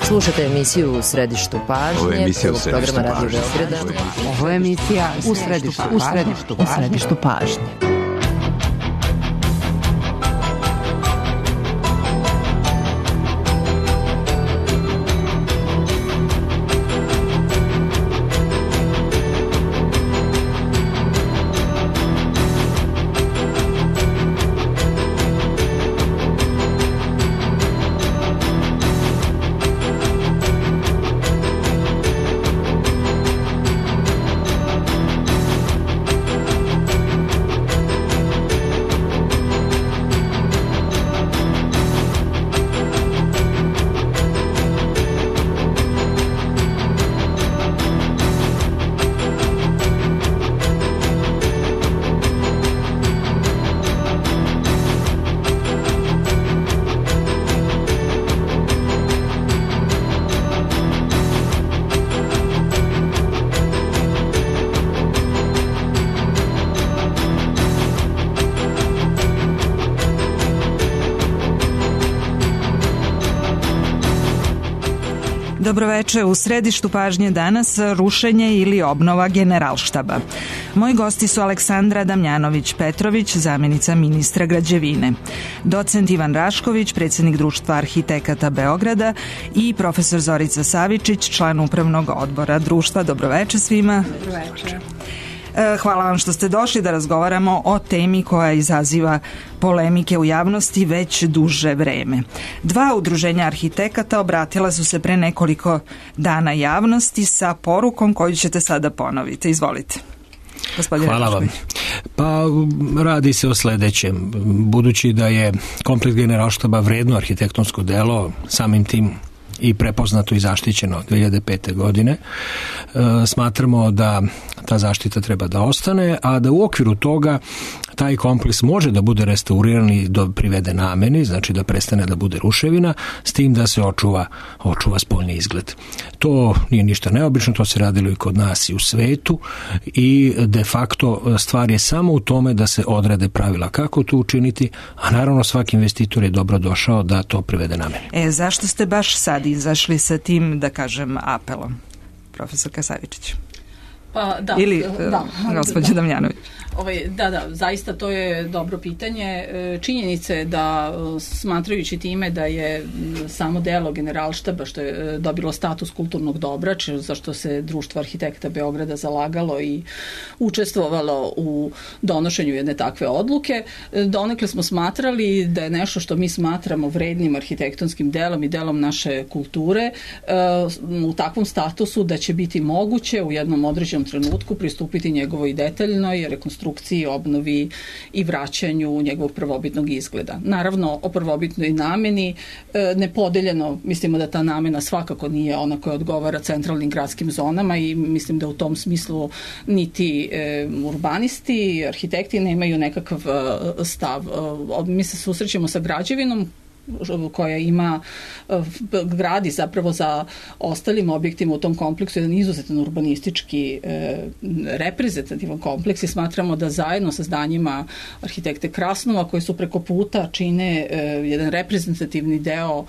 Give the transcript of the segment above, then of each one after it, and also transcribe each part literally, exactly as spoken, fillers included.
Slušajte emisiju U središtu pažnje. Ovo je emisija U središtu pažnje. Ovo je emisija U središtu pažnje. U središtu pažnje. Dobroveče, u središtu pažnje danas rušenje ili obnova Generalštaba. Moji gosti su Aleksandra Damjanović-Petrović, zamjenica ministra građevine, docent Ivan Rašković, predsjednik Društva arhitekata Beograda i profesor Zorica Savičić, član upravnog odbora društva. Dobroveče svima. Dobroveče. Hvala vam što ste došli da razgovaramo o temi koja izaziva polemike u javnosti već duže vreme. Dva udruženja arhitekata obratila su se pre nekoliko dana javnosti sa porukom koju ćete sada ponoviti. Izvolite. Gospodine Hvala vam. Rašković. Pa radi se o sledećem. Budući da je kompleks Generalštaba vredno arhitektonsko delo, samim tim i prepoznato i zaštićeno dve hiljade pete. godine. E, smatramo da ta zaštita treba da ostane, a da u okviru toga taj kompleks može da bude restauriran i do privede nameni, znači da prestane da bude ruševina, s tim da se očuva, očuva spoljni izgled. To nije ništa neobično, to se radilo i kod nas i u svetu i de facto stvar je samo u tome da se odrede pravila kako to učiniti, a naravno svaki investitor je dobro došao da to privede nameni. E, zašto ste baš sad izašli sa tim, da kažem, apelom? Profesor Kasavičić. Pa, da, Ili da, gospođa Damjanović. Ovaj, da, da, zaista to je dobro pitanje. Činjenica je da, smatrajući time da je samo delo Generalštaba, što je dobilo status kulturnog dobra, za što se Društvo arhitekata Beograda zalagalo i učestvovalo u donošenju jedne takve odluke, donekle smo smatrali da je nešto što mi smatramo vrednim arhitektonskim delom i delom naše kulture u takvom statusu da će biti moguće u jednom određenom trenutku pristupiti njegovoj detaljnoj rekonstrukciji, obnovi i vraćanju njegovog prvobitnog izgleda. Naravno, o prvobitnoj nameni nepodeljeno, mislimo da ta namena svakako nije ona koja odgovara centralnim gradskim zonama i mislim da u tom smislu niti urbanisti, arhitekti nemaju nekakav stav. Mi se susrećemo sa građevinom koja ima, gradi zapravo za ostalim objektima u tom kompleksu jedan izuzetan urbanistički reprezentativan kompleks i smatramo da zajedno sa zdanjima arhitekte Krasnova koji su preko puta čine jedan reprezentativni deo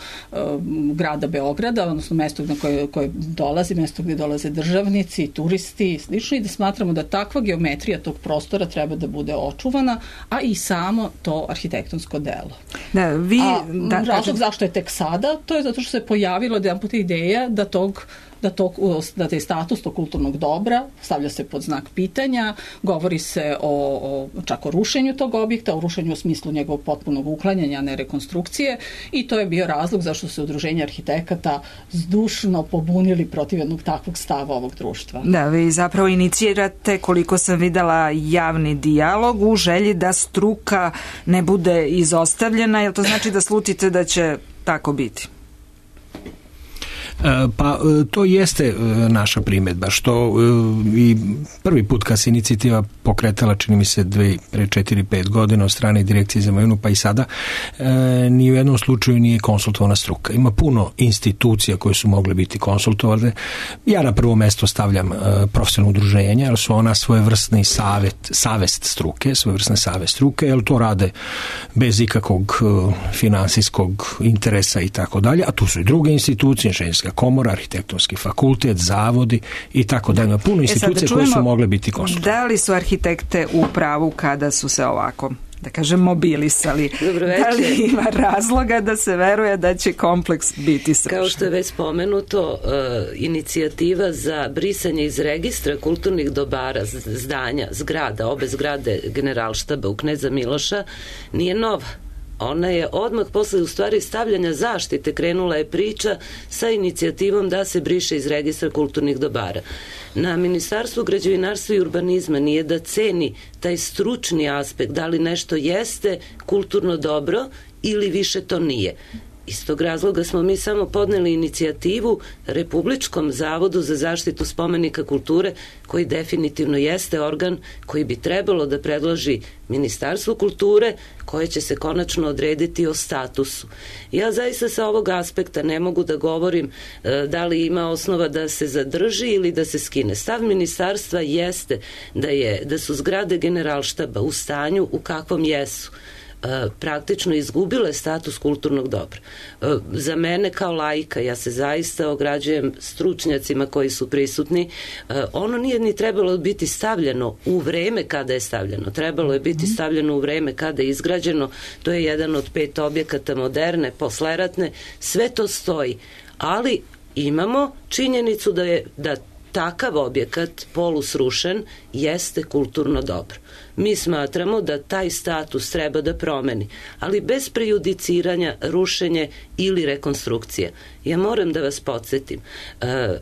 grada Beograda, odnosno mesto na koje, koje dolazi, mesto gdje dolaze državnici, turisti i slično, i da smatramo da takva geometrija tog prostora treba da bude očuvana, a i samo to arhitektonsko delo. Da, vi... A, Da, razlog zašto je tek sada, to je zato što se pojavilo jedan put ideja da tog da, to, da taj status tog kulturnog dobra stavlja se pod znak pitanja, govori se o, o čak o rušenju tog objekta, o rušenju u smislu njegovog potpunog uklanjanja, a ne rekonstrukcije, i to je bio razlog zašto se udruženje arhitekata zdušno pobunili protiv jednog takvog stava ovog društva. Da, vi zapravo inicirate, koliko sam videla, javni dijalog u želji da struka ne bude izostavljena, jel to znači da slutite da će tako biti? Pa to jeste naša primjedba, što i prvi put kad se inicijativa pokretala, čini mi se, dve, pre četiri, pet godina od strane Direkcije za imovinu, pa i sada, e, ni u jednom slučaju nije konsultovana struka. Ima puno institucija koje su mogle biti konsultovane. Ja na prvo mesto stavljam e, profesionalno udruženje, jer su ona svojevrsni savet, savest struke, svojevrsne savest struke, jer to rade bez ikakvog e, finansijskog interesa i tako dalje, a tu su i druge institucije, inženjerska komora, arhitektonski fakultet, zavodi i tako dalje. Ima puno institucija e čujemo, koje su mogle biti konsultovane. Da li su arhitekte u pravu kada su se ovako, da kažem, mobilisali? Dobro večer. Da li ima razloga da se veruje da će kompleks biti srušen? Kao što je već spomenuto, uh, inicijativa za brisanje iz registra kulturnih dobara, zdanja, zgrada, obe zgrade Generalštaba u Kneza Miloša nije nova. Ona je odmah posle u stvari stavljanja zaštite krenula je priča sa inicijativom da se briše iz registra kulturnih dobara. Na Ministarstvu građevinarstva i urbanizma nije da ceni taj stručni aspekt, da li nešto jeste kulturno dobro ili više to nije. Iz tog razloga smo mi samo podneli inicijativu Republičkom zavodu za zaštitu spomenika kulture, koji definitivno jeste organ koji bi trebalo da predloži Ministarstvu kulture, koje će se konačno odrediti o statusu. Ja zaista sa ovog aspekta ne mogu da govorim e, da li ima osnova da se zadrži ili da se skine. Stav ministarstva jeste da, je, da su zgrade Generalštaba u stanju u kakvom jesu, praktično izgubile status kulturnog dobra. Za mene kao laika, ja se zaista ograđujem stručnjacima koji su prisutni, ono nije ni trebalo biti stavljeno u vreme kada je stavljeno. Trebalo je biti stavljeno u vreme kada je izgrađeno. To je jedan od pet objekata moderne, posleratne. Sve to stoji. Ali imamo činjenicu da je da takav objekat, polusrušen, jeste kulturno dobro. Mi smatramo da taj status treba da promeni, ali bez prejudiciranja, rušenje ili rekonstrukcije. Ja moram da vas podsjetim, e,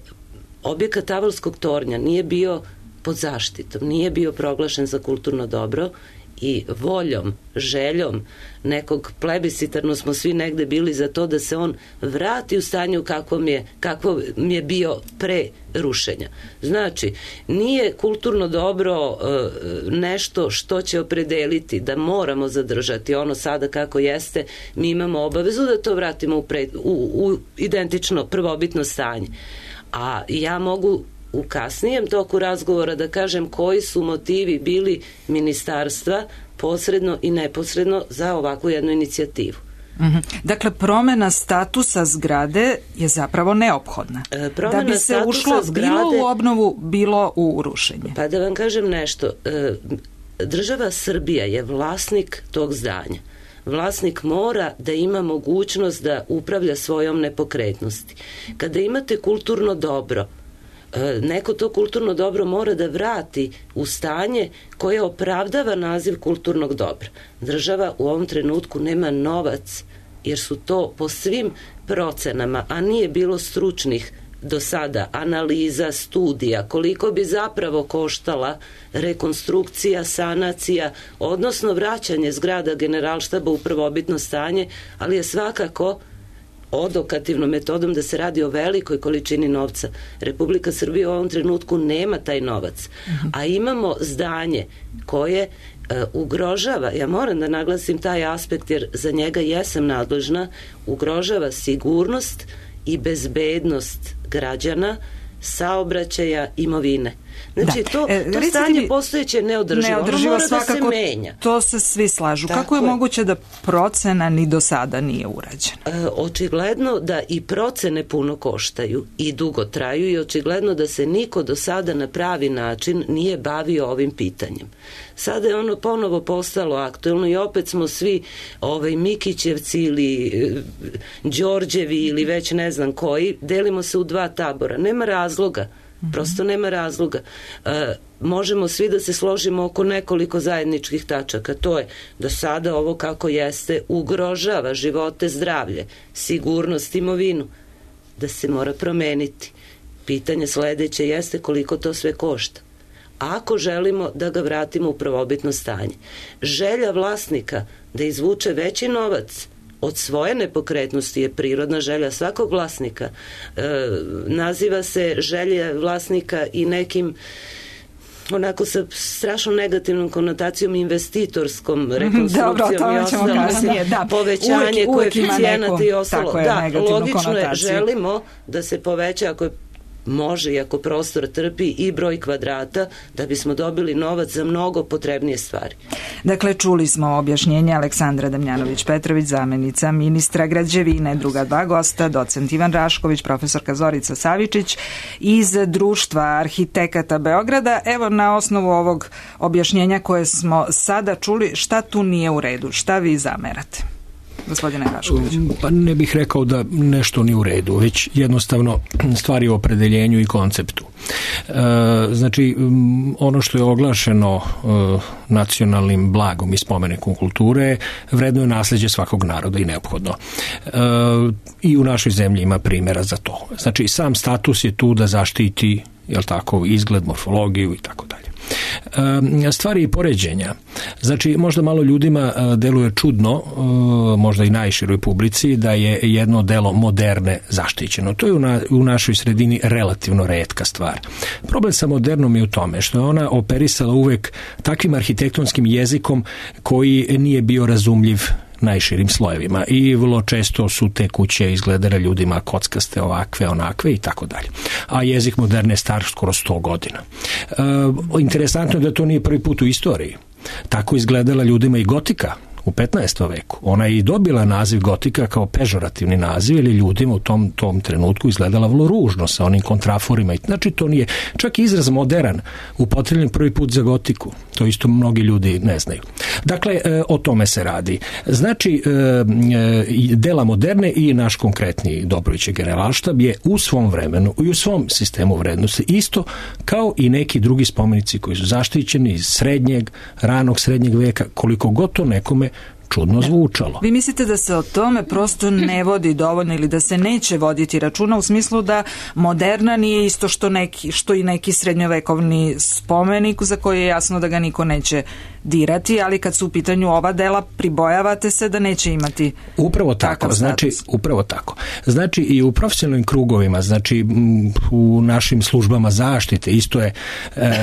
objekat Tavolskog tornja nije bio pod zaštitom, nije bio proglašen za kulturno dobro i voljom, željom nekog plebiscitarno smo svi negde bili za to da se on vrati u stanju kakvom je, kakvom je bio pre rušenja. Znači, nije kulturno dobro uh, nešto što će opredeliti da moramo zadržati ono sada kako jeste, mi imamo obavezu da to vratimo u, pre, u, u identično prvobitno stanje. A ja mogu u kasnijem toku razgovora da kažem koji su motivi bili ministarstva posredno i neposredno za ovakvu jednu inicijativu. Mm-hmm. Dakle, promena statusa zgrade je zapravo neophodna. E, da bi se ušlo zgrade, bilo u obnovu, bilo u rušenje. Pa da vam kažem nešto, e, država Srbija je vlasnik tog zdanja. Vlasnik mora da ima mogućnost da upravlja svojom nepokretnosti. Kada imate kulturno dobro, neko to kulturno dobro mora da vrati u stanje koje opravdava naziv kulturnog dobra. Država u ovom trenutku nema novac, jer su to po svim procenama, a nije bilo stručnih do sada analiza, studija, koliko bi zapravo koštala rekonstrukcija, sanacija, odnosno vraćanje zgrada Generalštaba u prvobitno stanje, ali je svakako odokativnom metodom da se radi o velikoj količini novca. Republika Srbija u ovom trenutku nema taj novac. A imamo zdanje koje e, ugrožava, ja moram da naglasim taj aspekt jer za njega jesam nadležna, ugrožava sigurnost i bezbednost građana, saobraćaja, imovine. Znači, da. to, to e, stanje mi, postojeće neodrživo. Neodrživo ono mora svakako, da se menja. To se svi slažu. Tako Kako je, je moguće da procena ni do sada nije urađena? E, očigledno da i procene puno koštaju i dugo traju i očigledno da se niko do sada na pravi način nije bavio ovim pitanjem. Sada je ono ponovo postalo aktuelno i opet smo svi ovaj, Mikićevci ili e, Đorđevi ili već ne znam koji, delimo se u dva tabora. Nema razloga. Prosto nema razloga. E, možemo svi da se složimo oko nekoliko zajedničkih tačaka. To je da sada ovo kako jeste ugrožava živote, zdravlje, sigurnost, imovinu. Da se mora promeniti. Pitanje sledeće jeste koliko to sve košta. Ako želimo da ga vratimo u prvobitno stanje. Želja vlasnika da izvuče veći novac od svoje nepokretnosti je prirodna želja svakog vlasnika. E, naziva se želja vlasnika i nekim onako sa strašno negativnom konotacijom, investitorskom rekonstrukcijom Dobro, i ostalo, da. povećanje koeficijenata i ostalo. Je, da, logično je, želimo da se poveća, ako je može, i ako prostor trpi, i broj kvadrata, da bismo dobili novac za mnogo potrebnije stvari. Dakle, čuli smo objašnjenje Aleksandra Damjanović-Petrović, zamenica ministra građevine, druga dva gosta, docent Ivan Rašković, profesorka Zorica Savičić iz Društva arhitekata Beograda. Evo, na osnovu ovog objašnjenja koje smo sada čuli, šta tu nije u redu, šta vi zamerate? Gospodine Rašković. Pa ne bih rekao da nešto nije u redu, već jednostavno stvari o opredeljenju i konceptu. E, znači, ono što je oglašeno e, nacionalnim blagom i spomenikom kulture, vredno je nasleđe svakog naroda i neophodno. E, I u našoj zemlji ima primjera za to. Znači, sam status je tu da zaštiti, jel tako, izgled, morfologiju i tako dalje. Stvari i poređenja. Znači, možda malo ljudima deluje čudno, možda i najširoj publici, da je jedno delo moderne zaštićeno. To je u, na, u našoj sredini relativno retka stvar. Problem sa modernom je u tome što je ona operisala uvek takvim arhitektonskim jezikom koji nije bio razumljiv najširim slojevima i vrlo često su te kuće izgledale ljudima kockaste, ovakve, onakve i tako dalje. A jezik moderne je star skoro sto godina. E, interesantno je da to nije prvi put u istoriji. Tako izgledala ljudima i gotika u petnaestom veku. Ona je i dobila naziv gotika kao pežorativni naziv, ili ljudima u tom, tom trenutku izgledala vrlo ružno sa onim kontraforima. Znači, to nije, čak i izraz modern upotrebljen prvi put za gotiku. To isto mnogi ljudi ne znaju. Dakle, o tome se radi. Znači, dela moderne i naš konkretni Dobrovićev Generalštab je u svom vremenu i u svom sistemu vrednosti isto kao i neki drugi spomenici koji su zaštićeni iz srednjeg, ranog srednjeg veka, koliko god to nekome čudno zvučalo. Vi mislite da se o tome prosto ne vodi dovoljno ili da se neće voditi računa u smislu da moderna nije isto što, neki, što i neki srednjovekovni spomenik za koji je jasno da ga niko neće dirati, ali kad su u pitanju ova dela pribojavate se da neće imati upravo tako, znači upravo tako. Znači i u profesionalnim krugovima, znači u našim službama zaštite isto je e,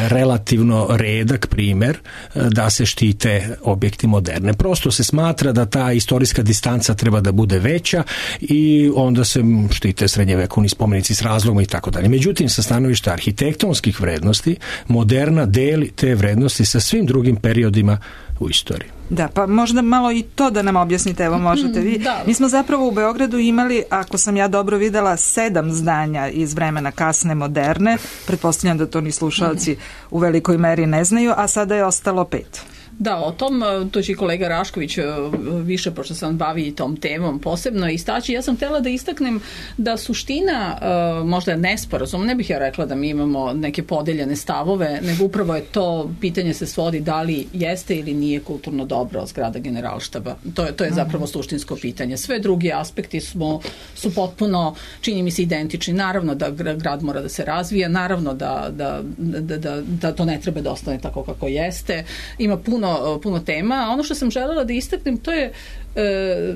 relativno redak primjer da se štite objekti moderne. Prosto se smatra da ta istorijska distanca treba da bude veća i onda se štite srednjevekovni spomenici s razlogom i tako dalje. Međutim, sa stanovišta arhitektonskih vrednosti, moderna deli te vrednosti sa svim drugim periodima u istoriji. Da, pa možda malo i to da nam objasnite, evo možete vi. Da. Mi smo zapravo u Beogradu imali, ako sam ja dobro videla, sedam zdanja iz vremena kasne moderne, pretpostavljam da to ni slušalci u velikoj meri ne znaju, a sada je ostalo pet. Da, o tom, to će i kolega Rašković više, pošto sam bavi tom temom posebno istaći. Ja sam htjela da istaknem da suština možda je nesporazum, ne bih ja rekla da mi imamo neke podeljene stavove, nego upravo je to pitanje se svodi da li jeste ili nije kulturno dobro zgrada Generalštaba. To je, to je zapravo suštinsko pitanje. Sve drugi aspekti smo, su potpuno, čini mi se, identični. Naravno da grad mora da se razvija, naravno da, da, da, da, da to ne treba da ostane tako kako jeste. Ima puno puno tema. Ono što sam želela da istaknem, to je e,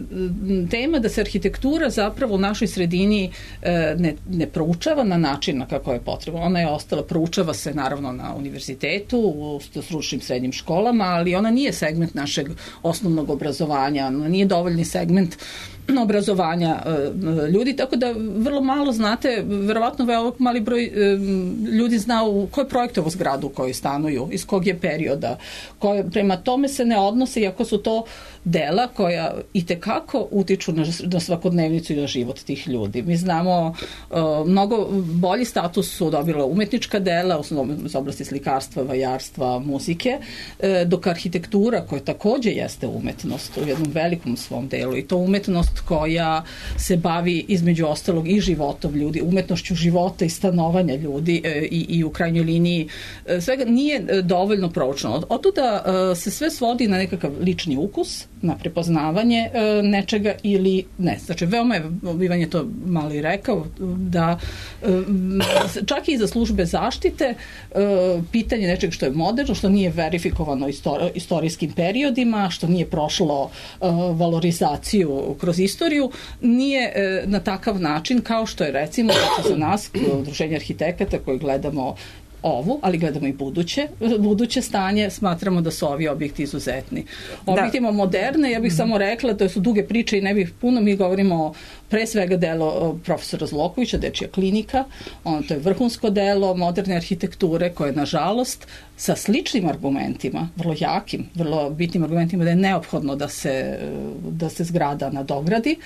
tema da se arhitektura zapravo u našoj sredini e, ne, ne proučava na način na kako je potrebno. Ona je ostala, proučava se naravno na univerzitetu, u stručnim srednjim školama, ali ona nije segment našeg osnovnog obrazovanja, ona nije dovoljni segment obrazovanja e, ljudi, tako da vrlo malo znate, verovatno veoma mali broj e, ljudi zna u kojoj projektovu zgradu u kojoj stanuju, iz kog je perioda, koje, prema tome se ne odnose, iako su to dela koja itekako utiču na, na svakodnevnicu i na život tih ljudi. Mi znamo, e, mnogo bolji status su dobila umetnička dela, osnovno iz oblasti slikarstva, vajarstva, muzike, e, dok arhitektura, koja takođe jeste umetnost u jednom velikom svom delu, i to umetnost koja se bavi između ostalog i životom ljudi, umetnošću života i stanovanja ljudi e, i, i u krajnjoj liniji e, svega nije dovoljno proučeno. Otuda e, se sve svodi na nekakav lični ukus, na prepoznavanje e, nečega ili ne. Znači, veoma je, Ivan je to malo i rekao, da e, čak i za službe zaštite e, pitanje nečega što je moderno, što nije verifikovano istor, istorijskim periodima, što nije prošlo e, valorizaciju kroz istoriju, nije e, na takav način kao što je recimo za nas, Udruženje arhitekata koji gledamo ovu, ali gledamo i buduće, buduće stanje, smatramo da su ovi objekti izuzetni. Objekti ima moderne, ja bih mm-hmm. samo rekla, to su duge priče i ne bih puno, mi govorimo pre svega delo profesora Zlokovića, Dečija klinika, ono, to je vrhunsko delo moderne arhitekture koje, nažalost, sa sličnim argumentima, vrlo jakim, vrlo bitnim argumentima da je neophodno da se, da se zgrada nadogradi,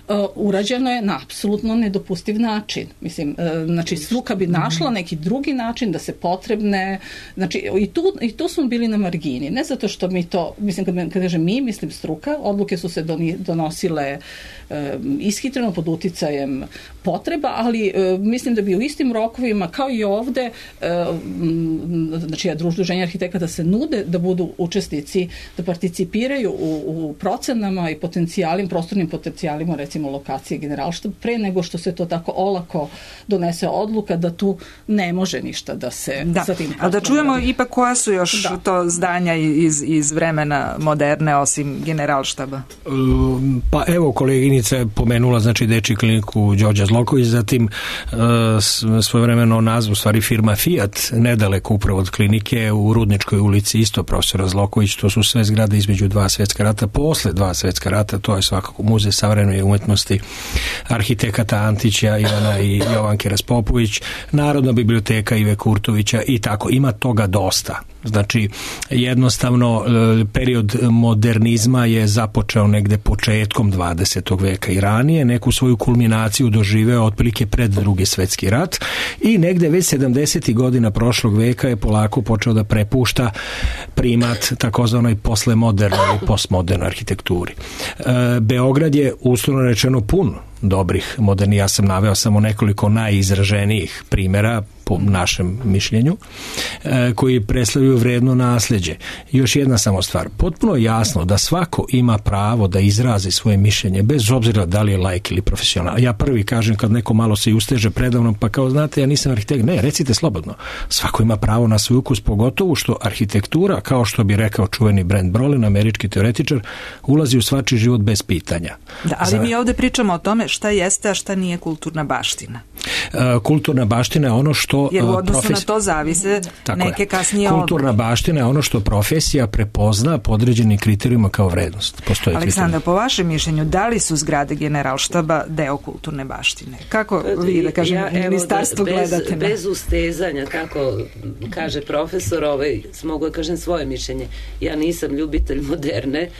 uh, urađeno je na apsolutno nedopustiv način. Mislim, uh, znači, struka bi našla neki drugi način da se potrebne, znači, i tu, i tu smo bili na margini, ne zato što mi to, mislim, kad, kad kažem mi, mislim struka, odluke su se doni, donosile uh, ishitreno pod uticajem potreba, ali uh, mislim da bi u istim rokovima, kao i ovde, uh, znači, Udruženja arhitekata se nude da budu učesnici, da participiraju u, u procenama i potencijalima, prostornim potencijalima, recimo lokacije Generalštaba, pre nego što se to tako olako donese odluka da tu ne može ništa da se da. sa tim... A da čujemo radi. Ipak koja su još da. to zdanja iz, iz vremena moderne, osim Generalštaba? Pa evo, koleginica je pomenula, znači, Dečiju kliniku Đorđa Zloković, zatim uh, svojevremeno nazvu, stvari, firma Fiat, nedaleko upravo od klinike, u Rudničkoj ulici, isto profesora Zloković, to su sve zgrade između dva svetska rata, posle dva svetska rata, to je svakako Muzej savremene umetnosti arhitekata Antića, Ivana i Jovanke Raspopović, Narodna biblioteka Ive Kurtovića i tako, ima toga dosta. Znači, jednostavno, period modernizma je započeo negde početkom dvadesetog veka i ranije, neku svoju kulminaciju doživeo otprilike pred Drugi svetski rat i negde već sedamdesetih godina prošlog veka je polako počeo da prepušta primat takozvanoj poslemodernoj ili postmodernoj arhitekturi. Beograd je uslovno rečeno pun dobrih moderni, ja sam naveo samo nekoliko najizraženijih primjera po našem mišljenju, koji predstavljaju vredno nasleđe. Još jedna samo stvar, potpuno je jasno da svako ima pravo da izrazi svoje mišljenje, bez obzira da li je laik ili profesional. Ja prvi kažem kad neko malo se usteže predavnom, pa kao znate, ja nisam arhitekt, ne, recite slobodno. Svako ima pravo na svoj ukus, pogotovo što arhitektura, kao što bi rekao čuveni Brent Brolin, američki teoretičar, ulazi u svačiji život bez pitanja. Da, ali Za... mi ovde pričamo o tome šta jeste, a šta nije kulturna baština. Kulturna baština je ono što jer u odnosu profes... na to zavise tako neke je. kasnije kulturna odluke. Baština je ono što profesija prepozna po određenim kriterijima kao vrednost. Postoje Aleksandar, kriterij. Po vašem mišljenju, da li su zgrade Generalštaba deo kulturne baštine? Kako vi, da kažem, ja, ministarstvo da, bez, gledate? Na... Bez ustezanja, kako kaže profesor, ovaj, mogu da kažem svoje mišljenje. Ja nisam ljubitelj moderne,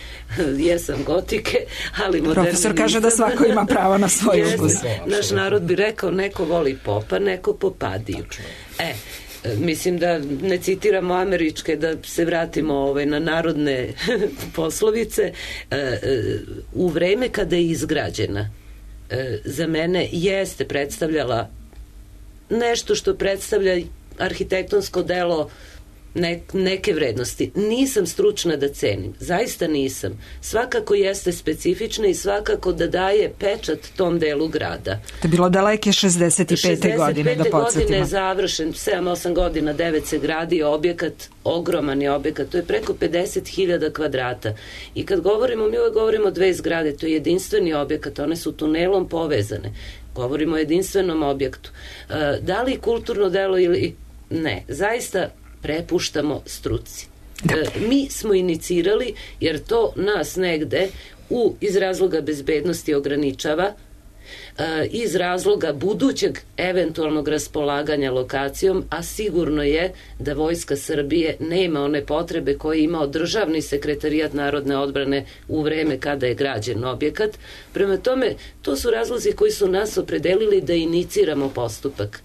jesam gotike, ali moderne profesor nisam. kaže da svako ima pravo na svoj ukus. Naš narod bi rekao, neko voli popa, neko popadiju. E, mislim da ne citiramo američke, da se vratimo ovaj, na narodne poslovice. U vreme kada je izgrađena, za mene jeste predstavljala nešto što predstavlja arhitektonsko delo Ne, neke vrednosti. Nisam stručna da cenim. Zaista nisam. Svakako jeste specifična i svakako da daje pečat tom delu grada. To je bilo daleke šezdeset pete godine, da podsjetimo. šezdeset pete godine je završen, sedam osam godina, devet se gradi objekat, ogroman je objekat, to je preko pedeset hiljada kvadrata. I kad govorimo, mi uvek govorimo dve zgrade, to je jedinstveni objekat, one su tunelom povezane. Govorimo o jedinstvenom objektu. Da li kulturno delo ili ne? Zaista prepuštamo struci. E, mi smo inicirali, jer to nas negde u, iz razloga bezbednosti ograničava, e, iz razloga budućeg eventualnog raspolaganja lokacijom, a sigurno je da Vojska Srbije nema one potrebe koje je imao državni sekretarijat narodne odbrane u vreme kada je građen objekat. Prema tome, to su razlozi koji su nas opredelili da iniciramo postupak.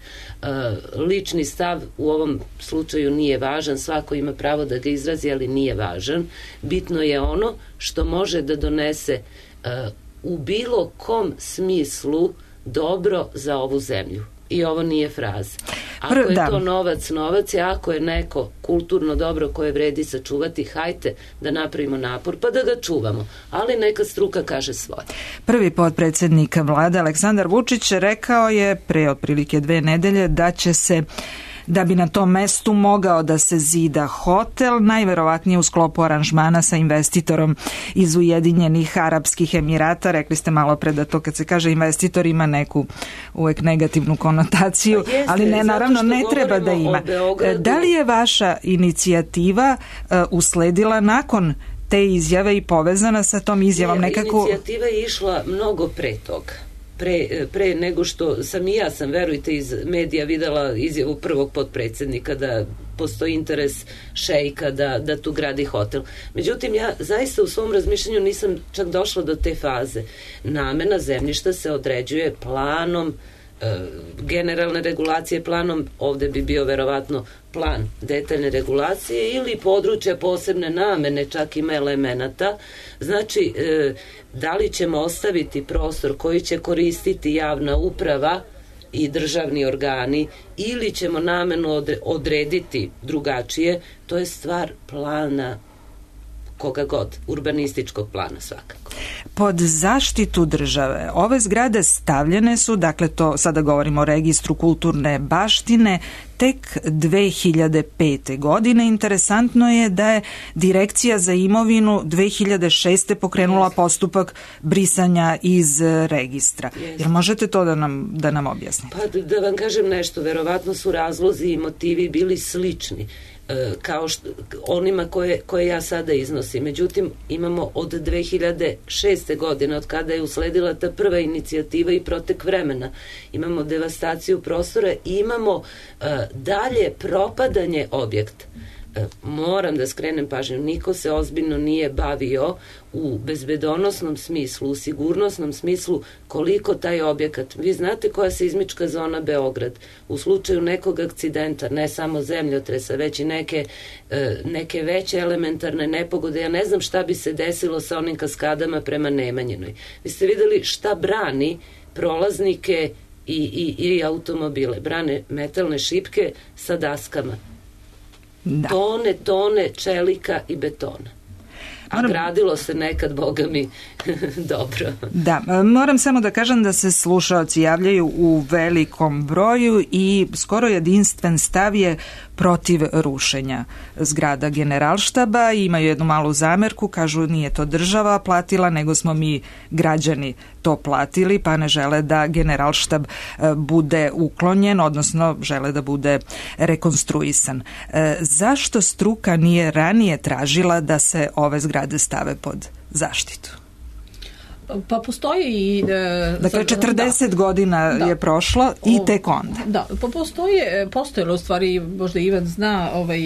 Lični stav u ovom slučaju nije važan, svako ima pravo da ga izrazi, ali nije važan. Bitno je ono što može da donese u bilo kom smislu dobro za ovu zemlju. I ovo nije fraza. Ako je to novac, novac je, ako je neko kulturno dobro koje vredi sačuvati, hajte da napravimo napor pa da ga čuvamo, ali neka struka kaže svoje. Prvi potpredsednik vlade Aleksandar Vučić rekao je pre otprilike dve nedelje da će se da bi na tom mestu mogao da se zida hotel, najverovatnije u sklopu aranžmana sa investitorom iz Ujedinjenih Arapskih Emirata. Rekli ste malo pre da to kad se kaže investitor ima neku uvek negativnu konotaciju, pa jeste, ali ne, naravno ne treba da ima. Da li je vaša inicijativa uh, usledila nakon te izjave i povezana sa tom izjavom ne, nekako? Inicijativa je išla mnogo pre toga. Pre, pre nego što sam i ja sam, verujte, iz medija videla izjavu prvog potpredsjednika da postoji interes šejka da, da tu gradi hotel. Međutim, ja zaista u svom razmišljanju nisam čak došla do te faze. Namena zemljišta se određuje planom, e, generalne regulacije planom, ovde bi bio verovatno plan detaljne regulacije ili područja posebne namene, čak ima elemenata. Znači, e, da li ćemo ostaviti prostor koji će koristiti javna uprava i državni organi ili ćemo namenu odrediti drugačije, to je stvar plana koga god, urbanističkog plana svakako. Pod zaštitu države ove zgrade stavljene su, dakle to sada govorimo o registru kulturne baštine, tek dve hiljade pete. godine. Interesantno je da je Direkcija za imovinu dve hiljade šeste. pokrenula Jeste. postupak brisanja iz registra. Jel možete to da nam, da nam objasnite? Pa da vam kažem nešto, verovatno su razlozi i motivi bili slični kao što, onima koje, koje ja sada iznosim. Međutim, imamo od dve hiljade šeste. godine, od kada je usledila ta prva inicijativa i protek vremena, imamo devastaciju prostora i imamo uh, dalje propadanje objekta. Uh, moram da skrenem pažnju, niko se ozbiljno nije bavio u bezbedonosnom smislu, u sigurnosnom smislu koliko taj objekat. Vi znate koja je seizmička zona Beograd. U slučaju nekog akcidenta, ne samo zemljotresa, već i neke, neke veće elementarne nepogode. Ja ne znam šta bi se desilo sa onim kaskadama prema Nemanjinoj. Vi ste videli šta brani prolaznike i, i, i automobile. Brane metalne šipke sa daskama. Da. Tone, tone čelika i betona. A gradilo se nekad, boga mi, dobro. Da, moram samo da kažem da se slušaoci javljaju u velikom broju i skoro jedinstven stav je protiv rušenja zgrada Generalštaba. Imaju jednu malu zamerku, kažu nije to država platila, nego smo mi građani to platili, pa ne žele da Generalštab bude uklonjen, odnosno žele da bude rekonstruisan. Zašto struka nije ranije tražila da se ove zgrade stave pod zaštitu? Pa postoji i... E, dakle, četrdeset da, godina da, je prošlo i tek onda. Da, pa postoje, postojalo u stvari, možda Ivan zna, ovaj,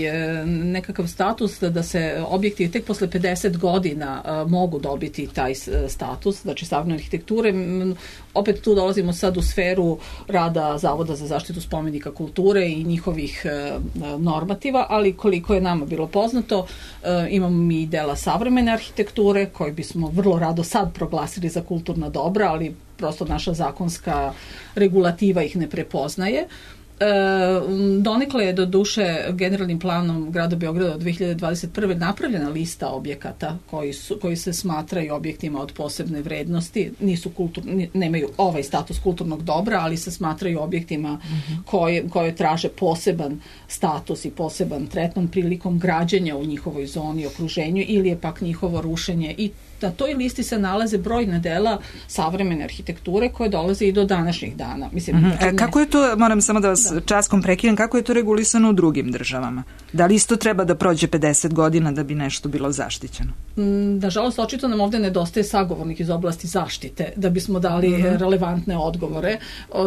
nekakav status da se objekti tek posle pedeset godina a, mogu dobiti taj status, znači savremene arhitekture. Opet tu dolazimo sad u sferu rada Zavoda za zaštitu spomenika kulture i njihovih e, normativa, ali koliko je nama bilo poznato, e, imamo mi dela savremene arhitekture koje bismo vrlo rado sad proglasili za kulturna dobra, ali prosto naša zakonska regulativa ih ne prepoznaje. E, donekle je do duše generalnim planom grada Beograda od dve hiljade dvadeset prve. napravljena lista objekata koji, su, koji se smatraju objektima od posebne vrednosti, nisu kulturni, nemaju ovaj status kulturnog dobra, ali se smatraju objektima mm-hmm. koje, koje traže poseban status i poseban tretman prilikom građenja u njihovoj zoni, okruženju, ili je pak njihovo rušenje. I na toj listi se nalaze brojna dela savremene arhitekture koje dolaze i do današnjih dana. Mislim, mm-hmm. znači, kako je to, moram samo da vas da. časkom prekinem, kako je to regulisano u drugim državama? Da li isto treba da prođe pedeset godina da bi nešto bilo zaštićeno? Nažalost, očito nam ovde nedostaje sagovornik iz oblasti zaštite da bismo dali mm-hmm. relevantne odgovore,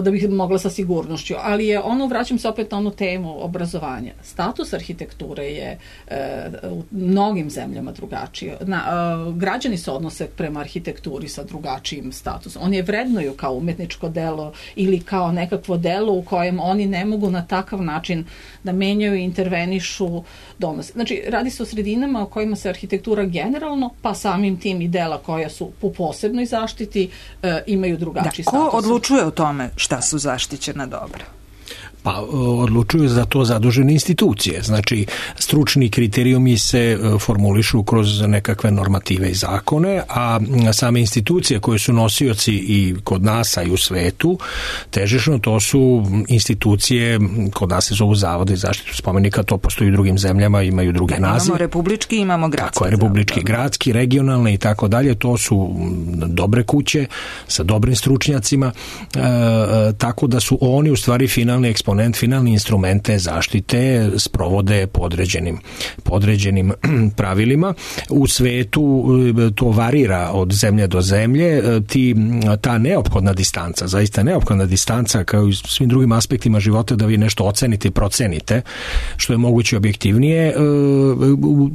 da bih mogla sa sigurnošću. Ali je ono, vraćam se opet na onu temu obrazovanja. Status arhitekture je e, u mnogim zemljama drugačiji. Na, e, građani se odnose prema arhitekturi sa drugačijim statusom. Oni je vrednuju kao umetničko delo ili kao nekakvo delo u kojem oni ne mogu na takav način da menjaju i intervenišu, donose. Znači, radi se o sredinama u kojima se arhitektura generalno, pa samim tim i dela koja su po posebnoj zaštiti e, imaju drugačiji da, status. Ko odlučuje o tome šta su zaštićena dobra? Pa odlučuju za to zadužene institucije. Znači, stručni kriterijumi se formulišu kroz nekakve normative i zakone, a same institucije koje su nosioci i kod nas, a i u svetu, težišno, to su institucije, kod nas se zovu zavode za zaštitu spomenika, to postoji u drugim zemljama, imaju druge da, nazive. Imamo republički, imamo gradski. Tako je, republički, gradski, regionalne i tako dalje, to su dobre kuće sa dobrim stručnjacima, e, tako da su oni u stvari finalni eksponent, finalni instrumente zaštite sprovode podređenim, podređenim pravilima. U svetu to varira od zemlje do zemlje, ti, ta neophodna distanca, zaista neophodna distanca kao i svim drugim aspektima života da vi nešto ocenite i procenite, što je moguće objektivnije.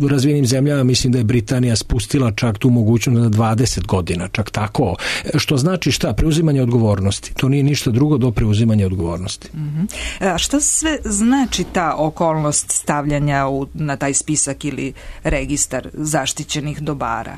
U razvijenim zemljama mislim da je Britanija spustila čak tu mogućnost na dvadeset godina, čak tako. Što znači šta? Preuzimanje odgovornosti. To nije ništa drugo do preuzimanja odgovornosti. Mm-hmm. A šta sve znači ta okolnost stavljanja u, na taj spisak ili registar zaštićenih dobara?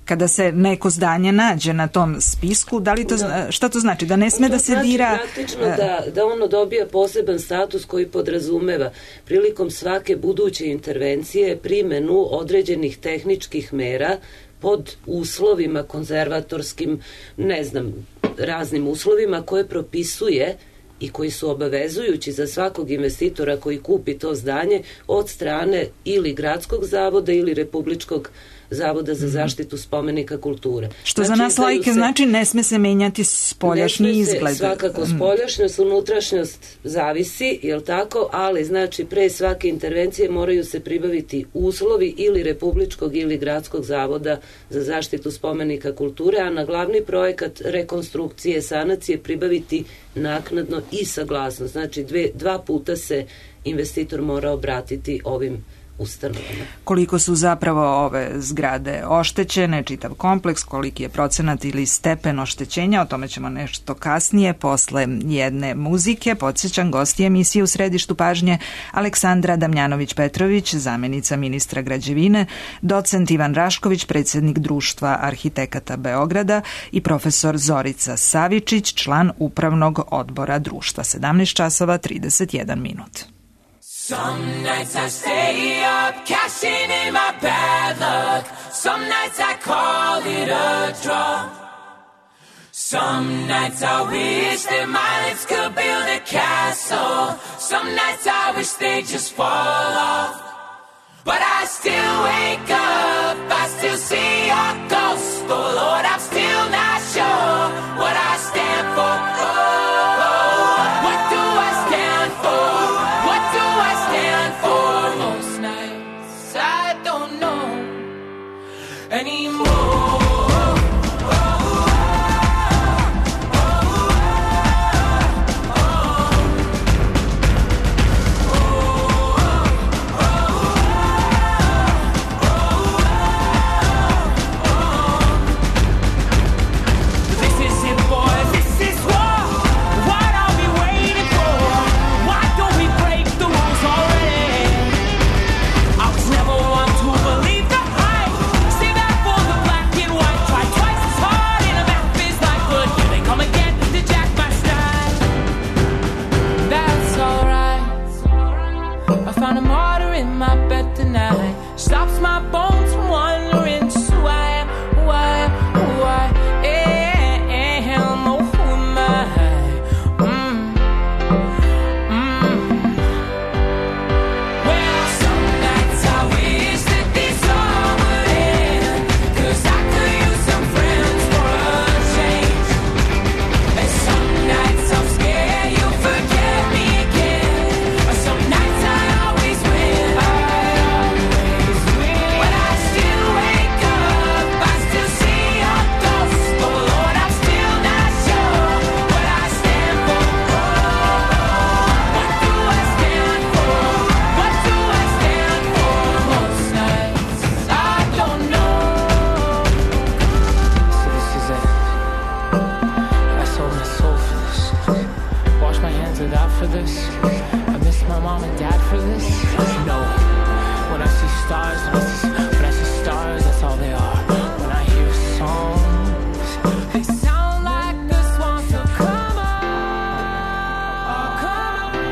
Kada se neko zdanje nađe na tom spisku, da li to, da. Šta to znači? Da ne sme da se znači dira... Praktično da, da ono dobija poseban status koji podrazumeva prilikom svake buduće intervencije primenu određenih tehničkih mera pod uslovima konzervatorskim, ne znam, raznim uslovima koje propisuje i koji su obavezujući za svakog investitora koji kupi to zdanje od strane ili gradskog zavoda ili republičkog Zavoda za zaštitu spomenika kulture. Što znači, za nas lajke se, znači ne sme se menjati spoljašnji izgled. Ne sme se svakako spoljašnjost, unutrašnjost zavisi, jel tako, ali znači pre svake intervencije moraju se pribaviti uslovi ili republičkog ili gradskog Zavoda za zaštitu spomenika kulture, a na glavni projekat rekonstrukcije, sanacije pribaviti naknadno i saglasnost. Znači dve, dva puta se investitor mora obratiti ovim ustanovama. Koliko su zapravo ove zgrade oštećene, čitav kompleks, koliki je procenat ili stepen oštećenja, o tome ćemo nešto kasnije, posle jedne muzike. Podsjećam, gosti emisije U središtu pažnje Aleksandra Damjanović-Petrović, zamenica ministra građevine, docent Ivan Rašković, predsjednik Društva arhitekata Beograda i profesor Zorica Savičić, član upravnog odbora društva. sedamnaest časova trideset jedan minut. Some nights I stay up, cashing in my bad luck. Some nights I call it a draw. Some nights I wish that my lips could build a castle. Some nights I wish they'd just fall off. But I still wake up, I still see your ghost. Oh Lord, I'm still not sure what I stand for. Oh, oh, what do I stand for? What do I stand for? Most nights I don't know anymore. Stops my bones from wondering just who I am, who I am, who I am, oh, who am I? Mm. Mm. Well, some nights I wish that this all would end, 'cause I could use some friends for a change. And some nights I'm scared you'll forget me again, or some nights I always win. I for this, I miss my mom and dad for this. No, when I see stars, when I see, when I see stars, that's all they are. When I hear songs, they sound like the swans will come on, oh, come on.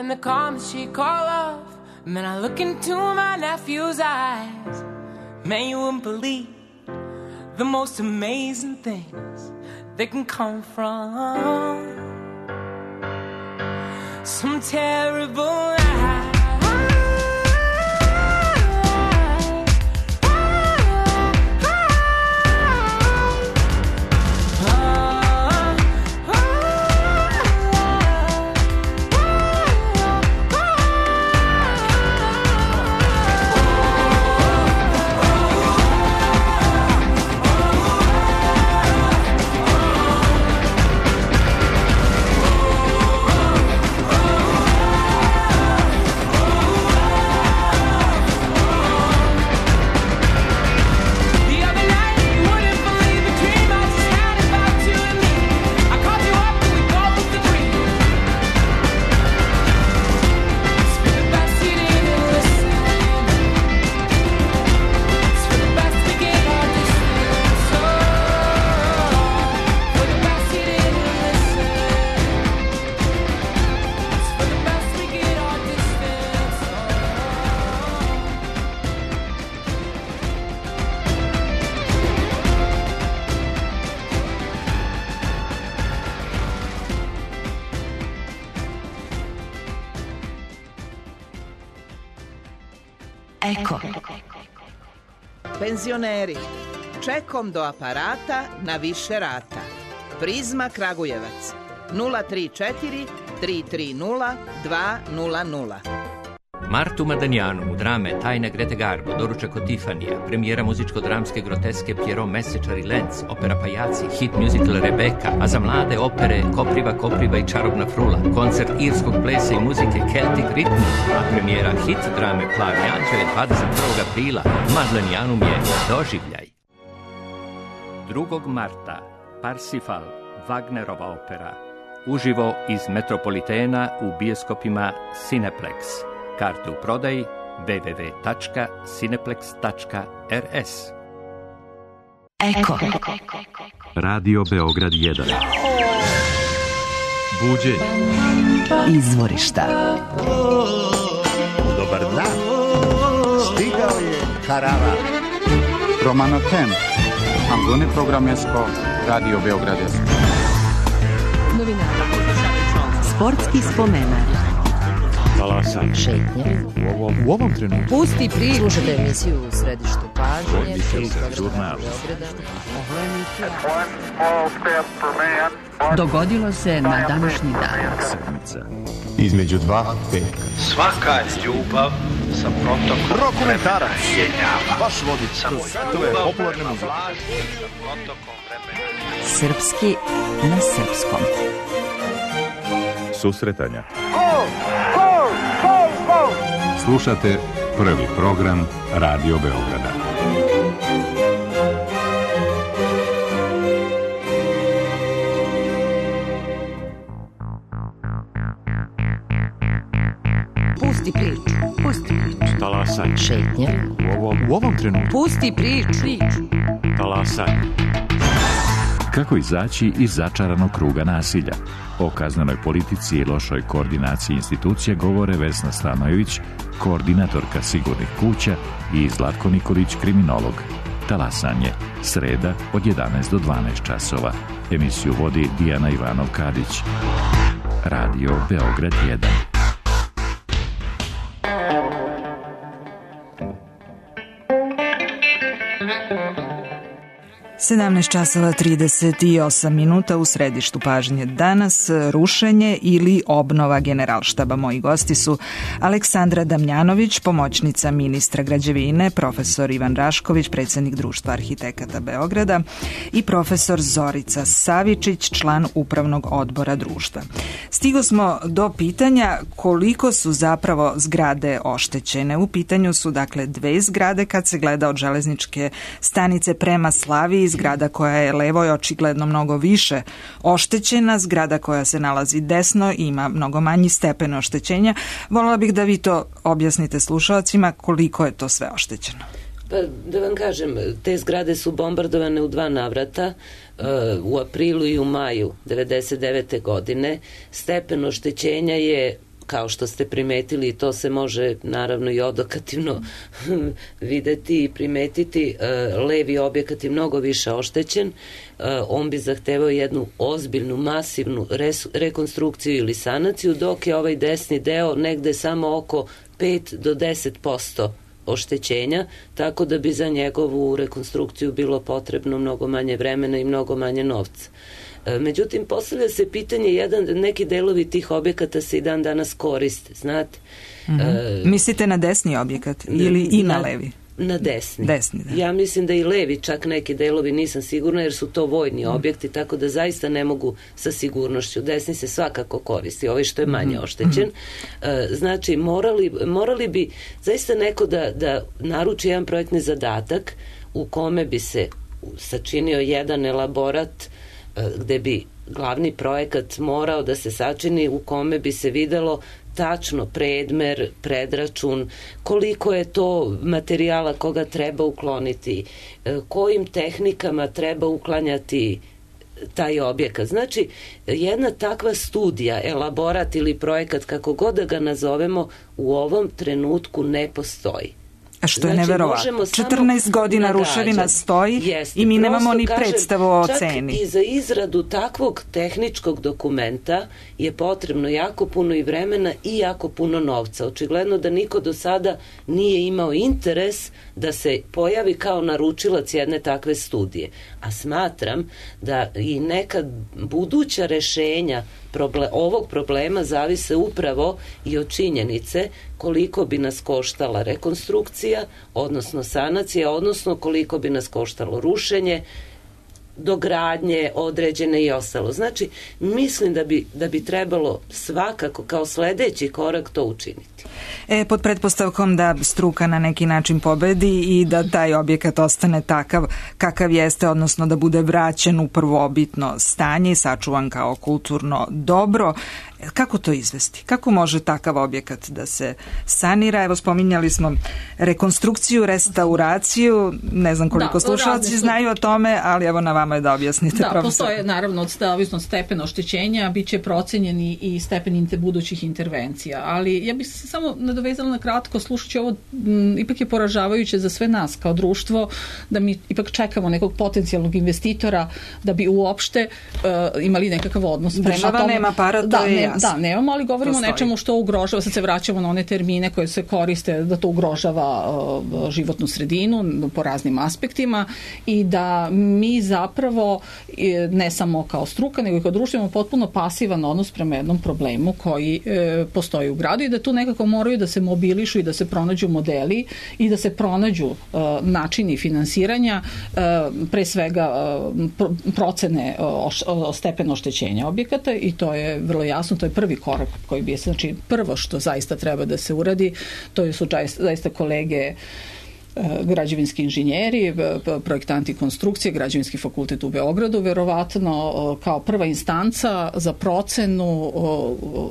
and the calm that she call love. Man, I look into my nephew's eyes. Man, you wouldn't believe the most amazing things that can come from some terrible lie. Eko. Penzioneri, čekom do aparata na više rata. Prizma Kragujevac nula tri četiri tri tri nula dva nula nula. Martu Madanjanu u drame Tajna Grete Garbo, doručak od Tifanija, premijera muzičko-dramske groteske Pierrot Mesečar i Lenz, opera Pajaci, hit musical Rebeka, a za mlade opere Kopriva, Kopriva i Čarobna frula, koncert irskog plesa i muzike Celtic Rhythm, a premijera hit drame Plavi anđele dvadeset prvog aprila, Madlenjanum je doživljaj. drugog marta Parsifal, Wagnerova opera, uživo iz Metropolitena u bioskopima Cineplex. Karte u prodaji w w w tačka cineplex tačka r s. Eko. Radio Beograd jedan. Buđenje. Izvorišta. Dobar dan. Stigao je Karava. Romano Temp. Ambune programesko Radio Beograd jedan. Novinari. Sportski spomenar. Talasan. Šetnje. U ovom, u ovom trenutku. Pusti priču. Slušajte emisiju u središtu pažnje. Žurnal. Dogodilo se na današnji dan. Sedmica. Između dva peka. Svaka ljubav sa protokom Dokumentarac. jenjava. Baš vodi samo to je popularna muzika. Srpski na srpskom. Susretanja. Slušate prvi program Radio Beograda. Pusti priču. Pusti priču. Talasan. Šetnje. U ovom, u ovom trenutku. Pusti priču. Talasan. Kako izaći iz začaranog kruga nasilja? O kaznenoj politici i lošoj koordinaciji institucija govore Vesna Stanojević, koordinatorka Sigurnih kuća, i Zlatko Nikolić, kriminolog. Talasanje, sreda od jedanaest do dvanaest časova. Emisiju vodi Dijana Ivanov-Kadić. Radio Beograd jedan. sedamnaest časova trideset osam minuta u središtu pažnje danas, rušenje ili obnova Generalštaba. Moji gosti su Aleksandra Damjanović, pomoćnica ministra građevine, profesor Ivan Rašković, predsjednik Društva arhitekata Beograda, i profesor Zorica Savičić, član upravnog odbora društva. Stigo smo do pitanja koliko su zapravo zgrade oštećene. U pitanju su dakle dve zgrade kad se gleda od železničke stanice prema Slaviji, zgrada koja je levo je očigledno mnogo više oštećena, zgrada koja se nalazi desno ima mnogo manji stepen oštećenja. Voljela bih da vi to objasnite slušalcima koliko je to sve oštećeno. Pa da vam kažem, te zgrade su bombardovane u dva navrata, u aprilu i u maju devedeset devete godine. Stepen oštećenja je kao što ste primetili, i to se može naravno i odokativno videti i primetiti, levi objekat je mnogo više oštećen, on bi zahtevao jednu ozbiljnu, masivnu rekonstrukciju ili sanaciju, dok je ovaj desni deo negde samo oko pet do deset posto oštećenja, tako da bi za njegovu rekonstrukciju bilo potrebno mnogo manje vremena i mnogo manje novca. Međutim, postavlja se pitanje, jedan, neki delovi tih objekata se i dan danas koriste, znate. Mm-hmm. E, Mislite na desni objekat ili i na, na levi? Na desni. desni da. Ja mislim da i levi, čak neki delovi, nisam sigurna, jer su to vojni objekti, tako da zaista ne mogu sa sigurnošću. Desni se svakako koristi, ovaj što je manje oštećen. E, znači, morali, morali bi zaista neko da, da naruči jedan projektni zadatak u kome bi se sačinio jedan elaborat gde bi glavni projekat morao da se sačini, u kome bi se videlo tačno predmer, predračun, koliko je to materijala koga treba ukloniti, kojim tehnikama treba uklanjati taj objekat. Znači, jedna takva studija, elaborat ili projekat, kako god da ga nazovemo, u ovom trenutku ne postoji. A što je znači, neverovatno. četrnaest godina nagađati. Ruševina stoji Jeste, i mi nemamo ni predstavu o ceni. Čak i za izradu takvog tehničkog dokumenta je potrebno jako puno i vremena i jako puno novca. Očigledno da niko do sada nije imao interes da se pojavi kao naručilac jedne takve studije. A smatram da i neka buduća rešenja Proble- ovog problema zavise upravo i od činjenice koliko bi nas koštala rekonstrukcija, odnosno sanacija, odnosno koliko bi nas koštalo rušenje, dogradnje određene i ostalo. Znači, mislim da bi, da bi trebalo svakako kao sledeći korak to učiniti. E, pod pretpostavkom da struka na neki način pobedi i da taj objekat ostane takav kakav jeste, odnosno da bude vraćen u prvobitno stanje i sačuvan kao kulturno dobro. Kako to izvesti? Kako može takav objekat da se sanira? Evo, spominjali smo rekonstrukciju, restauraciju, ne znam koliko da, slušalci znaju o tome, ali evo na vama je da objasnite. Da, profesor. Postoje naravno ovisno od stepena oštećenja, bit će procenjeni i stepen budućih intervencija, ali ja bih se samo nadovezala na kratko, slušajući ovo, m, ipak je poražavajuće za sve nas kao društvo, da mi ipak čekamo nekog potencijalnog investitora da bi uopšte uh, imali nekakav odnos prema Država tome. nema para, to da, je ne, jasno. Da, nemamo, ali govorimo o nečemu što ugrožava, sad se vraćamo na one termine koje se koriste, da to ugrožava uh, životnu sredinu po raznim aspektima i da mi zapravo ne samo kao struka, nego i kao društvo imamo potpuno pasivan odnos prema jednom problemu koji e, postoji u gradu i da tu nekako moraju da se mobilišu i da se pronađu modeli i da se pronađu e, načini finansiranja, e, pre svega e, procene o, o stepenu oštećenja objekata i to je vrlo jasno, to je prvi korak koji bi je, znači prvo što zaista treba da se uradi, to su zaista kolege građevinski inženjeri, projektanti konstrukcije, građevinski fakultet u Beogradu, verovatno kao prva instanca za procenu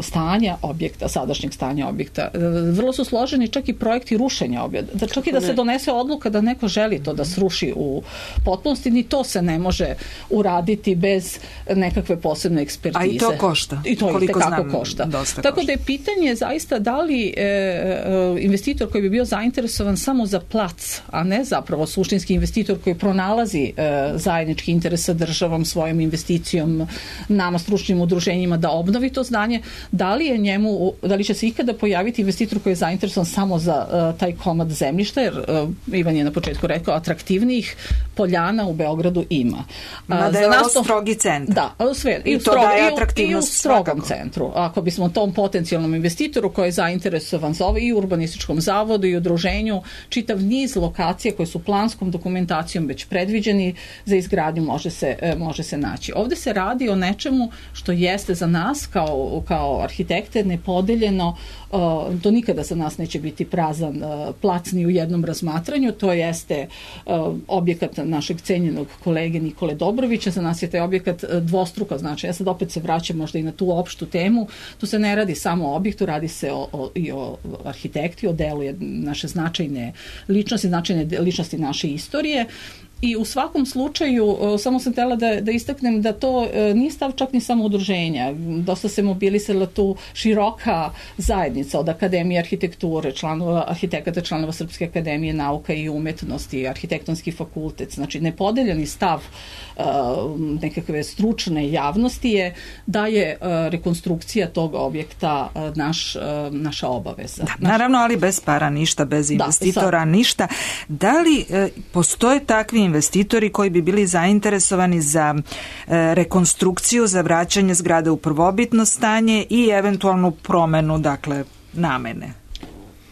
stanja objekta, sadašnjeg stanja objekta. Vrlo su složeni čak i projekti rušenja objekta. Da čak i da se donese odluka da neko želi to da sruši u potpunosti, ni to se ne može uraditi bez nekakve posebne ekspertize. A i to košta. I to i tekako košta. Tako košta. Da je pitanje zaista da li e, investitor koji bi bio zainteresovan samo za plac, a ne zapravo suštinski investitor koji pronalazi e, zajednički interes sa državom, svojom investicijom, nama stručnim udruženjima da obnovi to zdanje, da li je njemu, da li će se ikada pojaviti investitor koji je zainteresovan samo za e, taj komad zemljišta, jer e, Ivan je na početku rekao, atraktivnijih poljana u Beogradu ima. Mada je ovo strogi centar. Da, sve, i, I u, to strog, daje i, u, i u strogom svakako. centru. Ako bismo tom potencijalnom investitoru koji je zainteresovan za ovo i u urbanističkom zavodu i udruženju, čitav niz lokacije koje su planskom dokumentacijom već predviđeni za izgradnju može se, može se naći. Ovde se radi o nečemu što jeste za nas kao, kao arhitekte nepodeljeno, to nikada za nas neće biti prazan plac ni u jednom razmatranju, to jeste objekat našeg cenjenog kolege Nikole Dobrovića, za nas je taj objekat dvostruko, znači ja sad opet se vraćam možda i na tu opštu temu, tu se ne radi samo o objektu, radi se o, o, i o arhitekti, o delu naše značajne ličnosti, značajne ličnosti naše istorije I u svakom slučaju, samo sam htjela da, da istaknem da to nije stav čak ni samo udruženja. Dosta se mobilisala tu široka zajednica od Akademije arhitekture, članova arhitekata, članova Srpske akademije nauka i umetnosti, arhitektonski fakultet. Znači, nepodeljeni stav uh, nekakve stručne javnosti je da je uh, rekonstrukcija tog objekta uh, naš, uh, naša obaveza. Da, naravno, ali bez para ništa, bez investitora da, ništa. Da li uh, postoje takvi investitori koji bi bili zainteresovani za e, rekonstrukciju, za vraćanje zgrade u prvobitno stanje i eventualnu promenu, dakle, namene?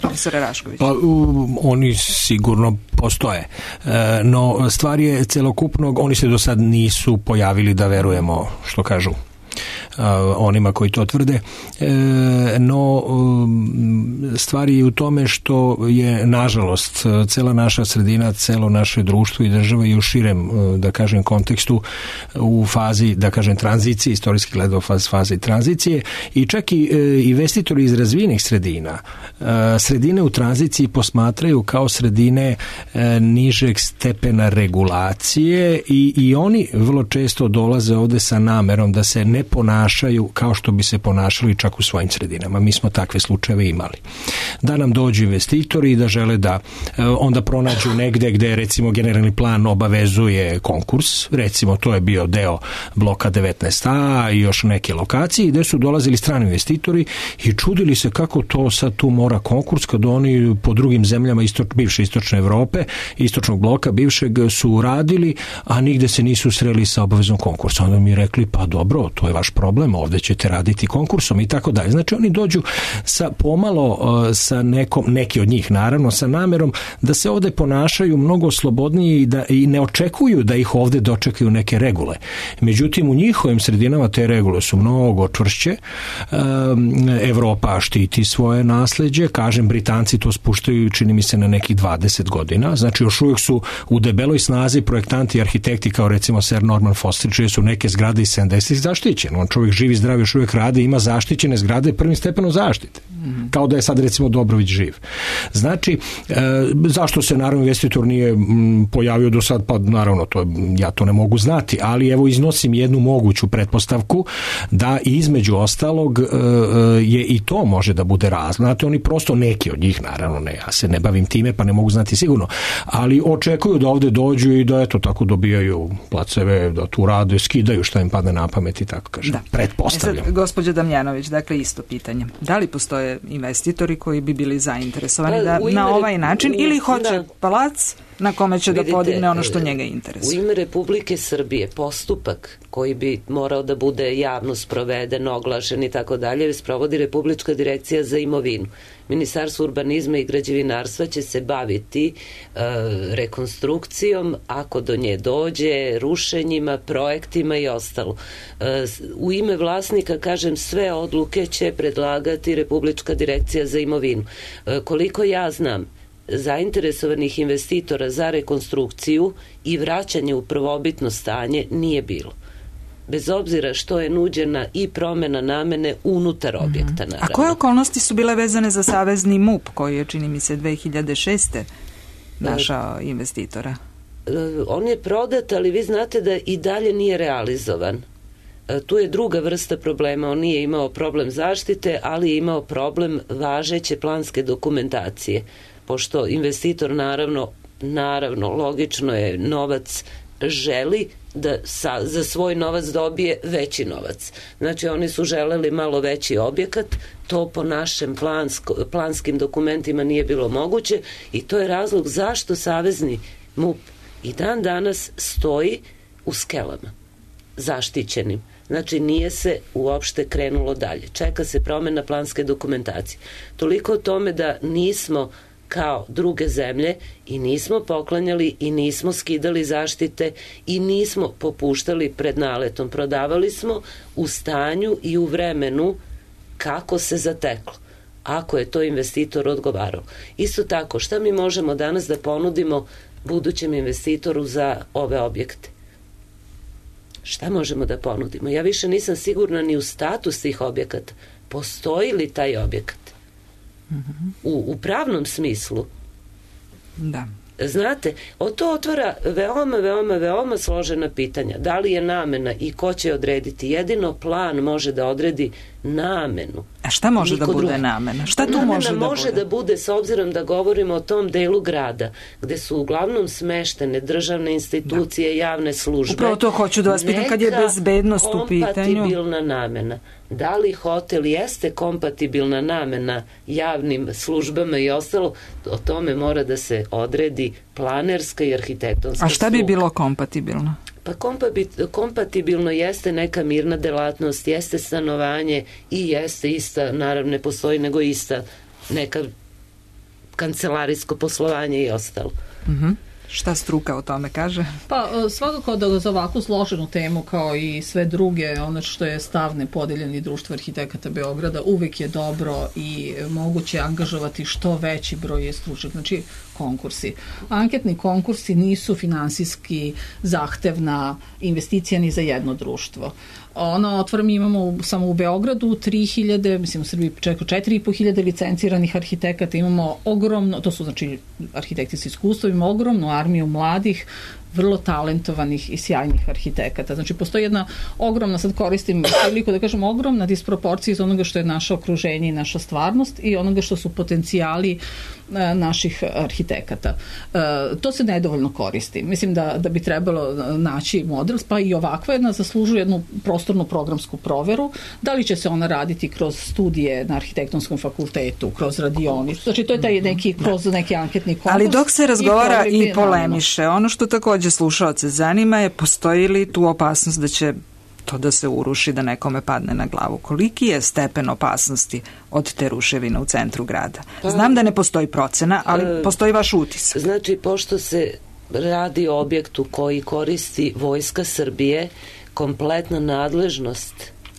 Profesore Rašković. Pa, um, oni sigurno postoje. E, no, stvar je celokupnog, oni se do sad nisu pojavili da verujemo, što kažu, onima koji to tvrde, no stvar je u tome što je nažalost cela naša sredina, celo naše društvo i država i u širem, da kažem, kontekstu u fazi, da kažem, tranzicije, istorijski gledao faz, fazi tranzicije i čak i investitori iz razvijenih sredina sredine u tranziciji posmatraju kao sredine nižeg stepena regulacije i, i oni vrlo često dolaze ovde sa namerom da se ne ponašaju kao što bi se ponašali čak u svojim sredinama. Mi smo takve slučajeve imali. Da nam dođu investitori i da žele da onda pronađu negde gde recimo generalni plan obavezuje konkurs, recimo to je bio deo bloka devetnaest a i još neke lokacije gde su dolazili strani investitori i čudili se kako to sad tu mora konkurs kad oni po drugim zemljama istoč, bivše istočne Evrope, istočnog bloka bivšeg su radili, a nigde se nisu sreli sa obavezom konkursa. Onda mi rekli, pa dobro, to je vaš problem, ovde ćete raditi konkursom i tako dalje. Znači oni dođu sa pomalo sa nekom, neki od njih naravno, sa namerom da se ovde ponašaju mnogo slobodnije i da i ne očekuju da ih ovde dočekaju neke regule. Međutim, u njihovim sredinama te regule su mnogo čvršće. Evropa štiti svoje nasleđe, kažem, Britanci to spuštaju, čini mi se, na nekih dvadeset godina. Znači još uvijek su u debeloj snazi projektanti i arhitekti kao recimo Sir Norman Foster, čije su neke zgrade iz sedamdesetih zaštićene. On čovjek živi, zdrav, još uvijek radi, ima zaštićene zgrade prvim stepenom zaštite. Kao da je sad recimo Dobrović živ. Znači, e, zašto se naravno investitor nije m, pojavio do sad, pa naravno to, ja to ne mogu znati, ali evo iznosim jednu moguću pretpostavku da između ostalog e, je i to može da bude razlog. Znate, oni prosto, neki od njih, naravno ne, ja se ne bavim time pa ne mogu znati sigurno, ali očekuju da ovde dođu i da eto tako dobijaju placeve, da tu rade, skidaju šta im padne na pamet i tako kažem. Da. Pretpostavljam. E sad, gospođa Damjanović, dakle isto pitanje. Da li postoje investitori koji bi bili zainteresovani da na ovaj način u, ili hoće da. palac na kome će Vidite, da podigne ono što njega interesuje? U ime Republike Srbije postupak koji bi morao da bude javno sproveden, oglašen i tako dalje, sprovodi Republička direkcija za imovinu. Ministarstvo urbanizma i građevinarstva će se baviti e, rekonstrukcijom, ako do nje dođe, rušenjima, projektima i ostalo. E, u ime vlasnika, kažem, sve odluke će predlagati Republička direkcija za imovinu. E, koliko ja znam, zainteresovanih investitora za rekonstrukciju i vraćanje u prvobitno stanje nije bilo. Bez obzira što je nuđena i promena namene unutar objekta, naravno. A koje okolnosti su bile vezane za savezni M U P, koji je, čini mi se, dve hiljade šeste našao investitora? On je prodat, ali vi znate da i dalje nije realizovan. Tu je druga vrsta problema. On nije imao problem zaštite, ali je imao problem važeće planske dokumentacije. Pošto investitor, naravno, naravno, logično je, novac želi da sa, za svoj novac dobije veći novac. Znači oni su želeli malo veći objekat, to po našim plansko, planskim dokumentima nije bilo moguće i to je razlog zašto savezni M U P i dan danas stoji u skelama, zaštićenim. Znači nije se uopšte krenulo dalje. Čeka se promena planske dokumentacije. Toliko o tome da nismo kao druge zemlje i nismo poklanjali i nismo skidali zaštite i nismo popuštali pred naletom. Prodavali smo u stanju i u vremenu kako se zateklo, ako je to investitor odgovarao. Isto tako, šta mi možemo danas da ponudimo budućem investitoru za ove objekte? Šta možemo da ponudimo? Ja više nisam sigurna ni u status tih objekata. Postoji li taj objekat? U, u pravnom smislu. Da. Znate, o to otvara veoma, veoma, veoma složena pitanja. Da li je namena i ko će odrediti? Jedino plan može da odredi namenu. A šta može Niko da bude drugi. namena? Šta tu namena može da može bude? da bude, s obzirom da govorimo o tom delu grada, gde su uglavnom smeštene državne institucije, da. javne službe. Upravo to hoću da vas pitam kad je bezbednost u pitanju. Kompatibilna namena. Da li hotel jeste kompatibilna namena javnim službama i ostalo, o tome mora da se odredi planerska i arhitektonska A šta bi struka. bilo kompatibilno? Pa kompatibilno jeste neka mirna delatnost, jeste stanovanje i jeste ista, naravno ne postoji nego ista neka kancelarijsko poslovanje i ostalo. Mhm. Šta struka o tome kaže? Pa svakako da za ovakvu složenu temu kao i sve druge, ono što je stav nepodeljeni društvo arhitekata Beograda, uvek je dobro i moguće angažovati što veći broj stručnjaka, znači konkursi. Anketni konkursi nisu finansijski zahtevna investicija ni za jedno društvo. Ono, otvorim, imamo u, samo u Beogradu tri hiljade, mislim u Srbiji čeko četiri i po hiljade licenciranih arhitekata, imamo ogromno, to su znači arhitekti s iskustvom, imamo ogromnu armiju mladih, vrlo talentovanih i sjajnih arhitekata. Znači, postoji jedna ogromna, sad koristim priliku da kažem, ogromna disproporcija iz onoga što je naše okruženje i naša stvarnost i onoga što su potencijali e, naših arhitekata. E, to se nedovoljno koristi. Mislim da, da bi trebalo naći model, pa i ovakva jedna zaslužuje jednu prostornu programsku proveru. Da li će se ona raditi kroz studije na arhitektonskom fakultetu, kroz radionicu? Znači, to je taj neki, kroz neki anketni konkurs. Ali dok se razgovara i, i polemiše, ono što takođe slušaoce zanima je postoji li tu opasnost da će to da se uruši, da nekome padne na glavu. Koliki je stepen opasnosti od te ruševine u centru grada? Znam da ne postoji procena, ali postoji vaš utisak. Znači, pošto se radi o objektu koji koristi Vojska Srbije, kompletna nadležnost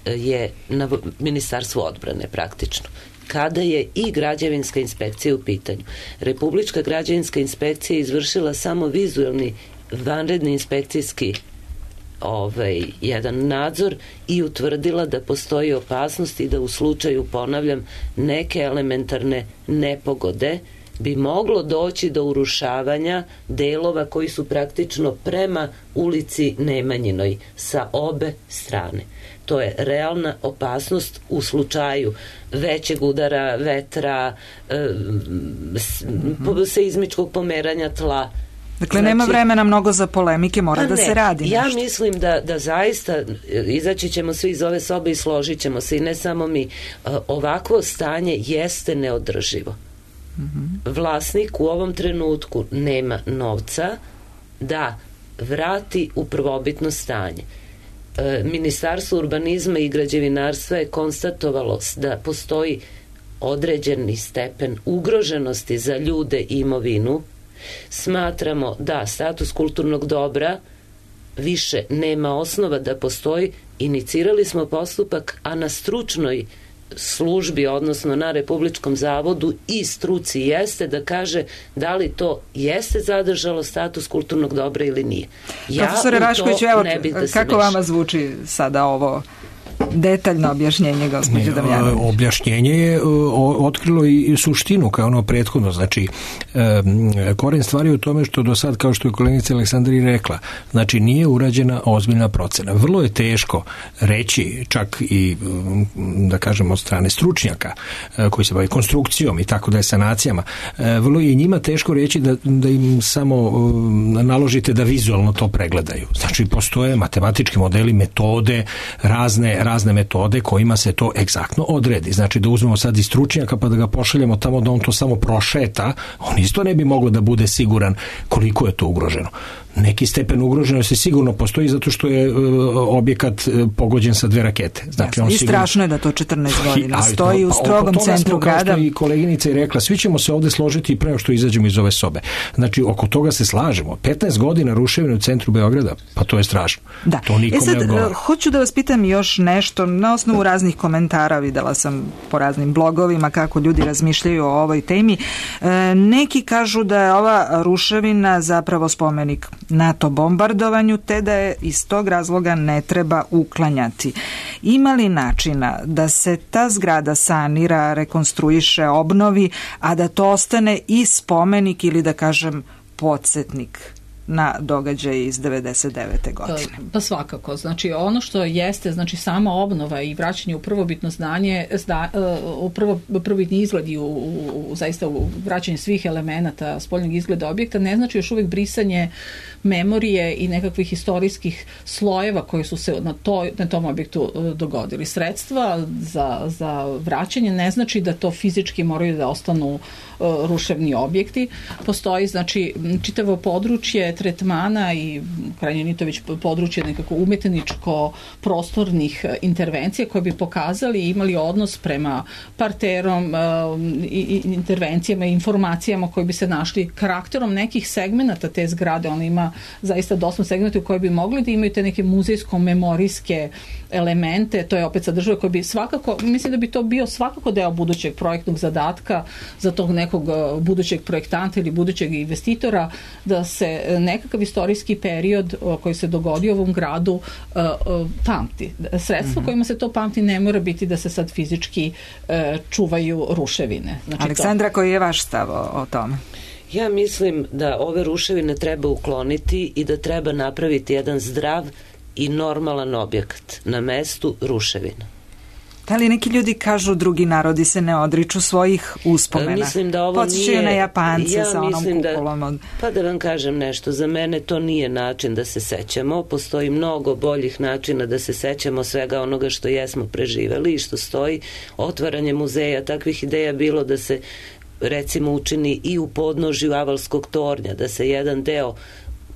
je na Ministarstvu odbrane praktično. Kada je i građevinska inspekcija u pitanju. Republička građevinska inspekcija je izvršila samo vizualni vanredni inspekcijski ovaj, jedan nadzor i utvrdila da postoji opasnost i da u slučaju, ponavljam, neke elementarne nepogode bi moglo doći do urušavanja delova koji su praktično prema ulici Nemanjinoj sa obe strane. To je realna opasnost u slučaju većeg udara vetra, seizmičkog pomeranja tla. Dakle, znači, nema vremena mnogo za polemike, mora da se radi nešto. Ja mislim da, da zaista izaći ćemo svi iz ove sobe i složit ćemo se i ne samo mi. Ovakvo stanje jeste neodrživo. Mm-hmm. Vlasnik u ovom trenutku nema novca da vrati u prvobitno stanje. Ministarstvo urbanizma i građevinarstva je konstatovalo da postoji određeni stepen ugroženosti za ljude i imovinu. Smatramo da status kulturnog dobra više nema osnova da postoji. Inicirali smo postupak, a na stručnoj službi, odnosno na Republičkom zavodu i struci jeste da kaže da li to jeste zadržalo status kulturnog dobra ili nije. Ja Profesore Rašković, evo, da kako vama zvuči sada ovo detaljno objašnjenje, gospođe Damjanović? Objašnjenje je otkrilo i suštinu kao ono prethodno. Znači, koren stvari je u tome što do sad, kao što je koleginica Aleksandra i rekla, znači nije urađena ozbiljna procena. Vrlo je teško reći, čak i da kažem od strane stručnjaka koji se bavi konstrukcijom i tako da je sanacijama, vrlo je i njima teško reći da, da im samo naložite da vizualno to pregledaju. Znači, postoje matematički modeli, metode, razne razne metode kojima se to egzaktno odredi. Znači da uzmemo sad i stručnjaka pa da ga pošaljemo tamo da on to samo prošeta, on isto ne bi moglo da bude siguran koliko je to ugroženo. Neki stepen ugroženosti sigurno postoji zato što je uh, objekat uh, pogođen sa dve rakete. Znači, on I sigurno... strašno je da to četrnaest godina I, stoji u strogom pa, centru smo, grada. Kao što i koleginica je rekla, svi ćemo se ovde složiti pre što izađemo iz ove sobe. Znači, oko toga se slažemo. petnaest godina ruševine u centru Beograda, pa to je strašno. Da. To nikom e sad, ne odgovara. Hoću da vas pitam još nešto. Na osnovu raznih komentara videla sam po raznim blogovima kako ljudi razmišljaju o ovoj temi. E, neki kažu da je ova ruševina zapravo spomenik NATO bombardovanju, te da je iz tog razloga ne treba uklanjati. Ima li načina da se ta zgrada sanira, rekonstruiše, obnovi, a da to ostane i spomenik ili da kažem podsjetnik na događaje iz devedeset devete godine? Pa svakako. Znači ono što jeste, znači sama obnova i vraćanje u prvobitno znanje, zda, u prvo, prvobitni izgled i u, u, u, zaista u vraćanje svih elemenata spoljnog izgleda objekta ne znači još uvijek brisanje memorije i nekakvih historijskih slojeva koji su se na, toj, na tom objektu dogodili. Sredstva za, za vraćanje ne znači da to fizički moraju da ostanu uh, ruševni objekti. Postoji znači čitavo područje tretmana i krajnje Nitović područje nekako umetničko prostornih intervencija koje bi pokazali i imali odnos prema parterom uh, i, i intervencijama i informacijama koje bi se našli karakterom nekih segmenata te zgrade. Ona ima zaista dosta segmenta u koje bi mogli da imaju te neke muzejsko-memorijske elemente, to je opet sadržava koji bi svakako, mislim da bi to bio svakako deo budućeg projektnog zadatka za tog nekog budućeg projektanta ili budućeg investitora, da se nekakav istorijski period koji se dogodio u ovom gradu pamti. Sredstvo mm-hmm. kojima se to pamti ne mora biti da se sad fizički čuvaju ruševine. Znači Aleksandra, to... koji je vaš stav o, o tome? Ja mislim da ove ruševine treba ukloniti i da treba napraviti jedan zdrav i normalan objekat na mestu ruševina. Da li neki ljudi kažu drugi narodi se ne odriču svojih uspomena? Mislim da ovo Podsjećaju nije... na Japance ja sa onom kupolom. Od... Da, pa da vam kažem nešto, za mene to nije način da se sećamo. Postoji mnogo boljih načina da se sećamo svega onoga što jesmo preživeli i što stoji. Otvaranje muzeja, takvih ideja bilo da se recimo učini i u podnožju Avalskog tornja, da se jedan deo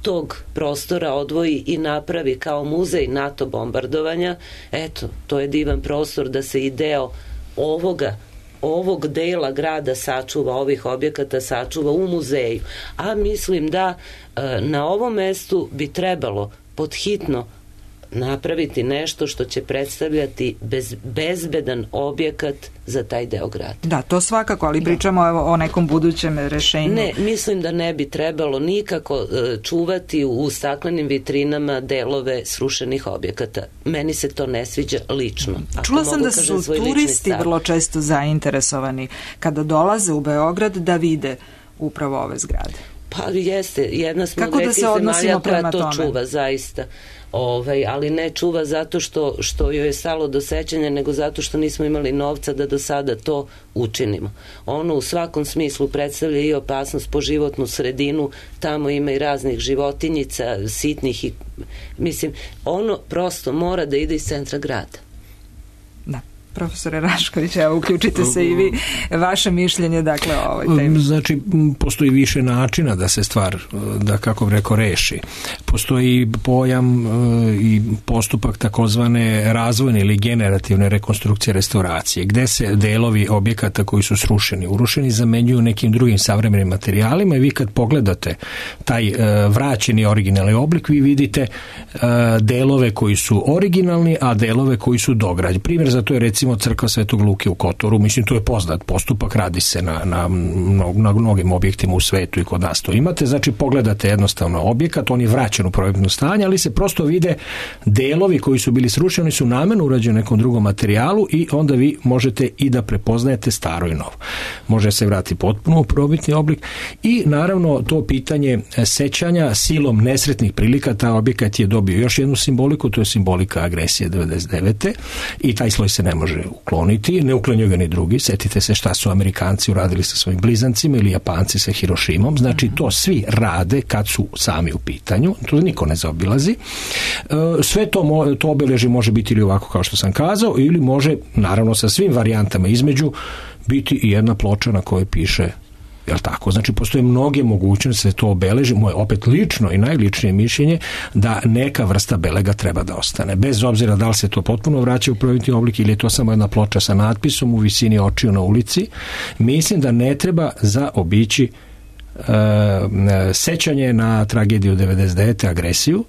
tog prostora odvoji i napravi kao muzej NATO bombardovanja. Eto, to je divan prostor da se i deo ovoga ovog dela grada sačuva, ovih objekata sačuva u muzeju. A mislim da e, na ovom mestu bi trebalo podhitno napraviti nešto što će predstavljati bez, bezbedan objekat za taj deo grada. Da, to svakako, ali pričamo evo o nekom budućem rešenju. Ne, mislim da ne bi trebalo nikako uh, čuvati u staklenim vitrinama delove srušenih objekata. Meni se to ne sviđa lično. Ako Čula sam da su turisti vrlo često zainteresovani kada dolaze u Beograd da vide upravo ove zgrade. Pa jeste, jedna smo Kako da se odnosimo prema to tome? Čuva, zaista. Ovaj, ali ne čuva zato što, što joj je stalo do sećanja, nego zato što nismo imali novca da do sada to učinimo. Ono u svakom smislu predstavlja i opasnost po životnu sredinu, tamo ima i raznih životinjica, sitnih i, mislim, ono prosto mora da ide iz centra grada. Da. Profesore Rašković, evo, uključite se i vi, vaše mišljenje, dakle, o ovoj temi. Znači, postoji više načina da se stvar, da kako bi rekao, reši. Postoji pojam i postupak takozvane razvojne ili generativne rekonstrukcije restauracije, gde se delovi objekata koji su srušeni, urušeni, zamenjuju nekim drugim savremenim materijalima i vi kad pogledate taj vraćeni originalni oblik, vi vidite delove koji su originalni, a delove koji su dograđeni. Primjer za to je recimo crkva Svetog Luke u Kotoru, mislim to je poznat postupak, radi se na, na, na mnogim objektima u svetu i kod nas to imate, znači pogledate jednostavno objekat, on je vraćen u prvobitno stanje, ali se prosto vide delovi koji su bili srušeni, su namerno urađeni nekom drugom materijalu i onda vi možete i da prepoznajete staro i novo. Može se vratiti potpuno u prvobitni oblik i naravno to pitanje sećanja silom nesretnih prilika, taj objekat je dobio još jednu simboliku, to je simbolika agresije devedeset devete i taj sloj se ne može ukloniti, ne uklanjaju ga ni drugi. Setite se šta su Amerikanci uradili sa svojim blizancima ili Japanci sa Hirošimom. Znači to svi rade kad su sami u pitanju. To niko ne zaobilazi. Sve to, to obeležje može biti ili ovako kao što sam kazao, ili može, naravno sa svim varijantama između, biti i jedna ploča na kojoj piše, jel tako? Znači, postoje mnoge mogućnosti da se to obeleži. Moje opet lično i najličnije mišljenje da neka vrsta belega treba da ostane. Bez obzira da li se to potpuno vraća u prvobitni oblik ili je to samo jedna ploča sa natpisom u visini očiju na ulici. Mislim da ne treba zaobići uh, sećanje na tragediju devedeset devete agresiju,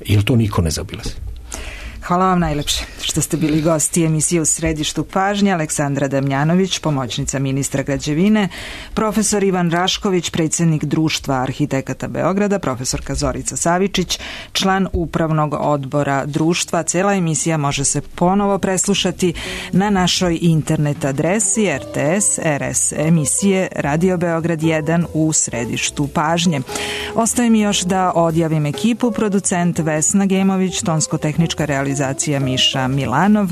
jer to niko ne zaobilazi. Hvala vam najlepše što ste bili gosti emisije U središtu pažnje. Aleksandra Damjanović, pomoćnica ministra građevine, profesor Ivan Rašković, predsjednik Društva arhitekata Beograda, profesorka Zorica Savičić, član upravnog odbora društva. Cela emisija može se ponovo preslušati na našoj internet adresi R T S R S emisije Radio Beograd jedan U središtu pažnje. Ostaje mi još da odjavim ekipu: producent Vesna Gemović, tonsko-tehnička realizacija Miša Milanov.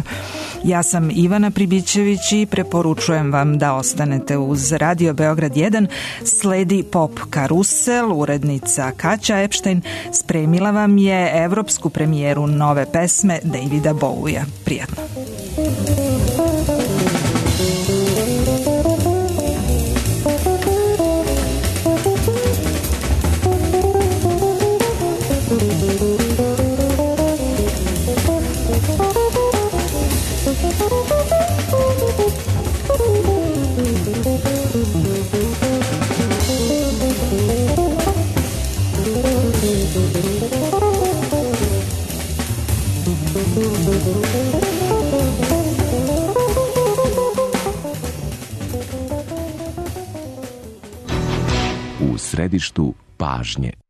Ja sam Ivana Pribićević i preporučujem vam da ostanete uz Radio Beograd jedan. Sledi Pop Karusel, urednica Kaća Epštajn spremila vam je evropsku premijeru nove pesme Davida Bowija. Prijatno. U središtu pažnje.